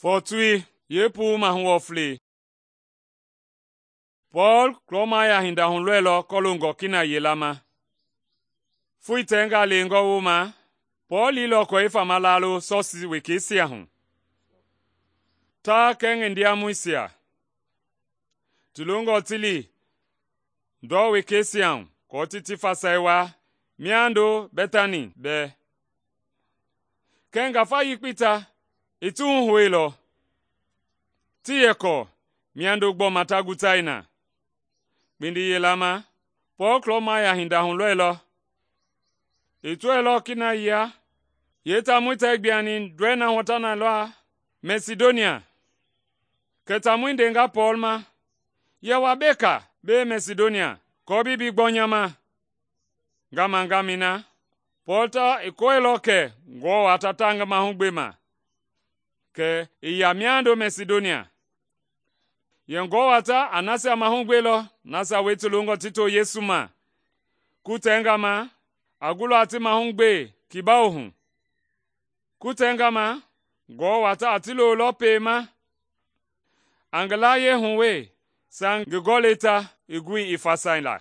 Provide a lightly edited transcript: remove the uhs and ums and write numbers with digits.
Fɔɔtui yeepuu mahu wɔflei. Pɔɔl Klɔmaya hinda hulɔilɔ kɔloongɔ kina yila ma. Foi tɛngaa leengɔ wooma, Pɔɔl liilɔ kɔ i fama laalo Sɔsii wekeisia hu. Ta kɛɛ ngi ndiamɔisia ti longɔ ti li ndɔ wekeisia hu aako ti fasai waa miando Bɛtani bɛɛ. Kɛɛ ngafa yekpei ta i ti huhouilɔ, tii yɛ kɔɔ miando gbɔma ta gutai na. Kpindi yila ma, Pɔɔl Klɔmaya hinda hulɔilɔ. I tɔɛilɔ kina yia, yeetaamɔi tɛɛ gbiani ndɔi na hu ta na lɔ Mɛsidonia. Kɛ taamɔi ndenga Pɔɔl ma yɛ wa beka bee Mɛsidonia aako bi gbɔ nya ma. Ngamɛi na, Pɔɔl ta i kɔɔilɔ kɛ Ngewɔ ta taa ngi mahugbema, kɛ i ya miando Mɛsidonia. Yɛ Ngewɔ ta a nasia mahugbelɔ nasia wie ti longɔ ti to Yesu ma. Kutɛnga ma, a gulɔ a ti mahugbe kibawo hu. Kutɛnga ma, Ngewɔ ta a ti lolɔ pema a ngi layie hu wee, saŋ ngi gɔlɛi ta i gui i fasai la.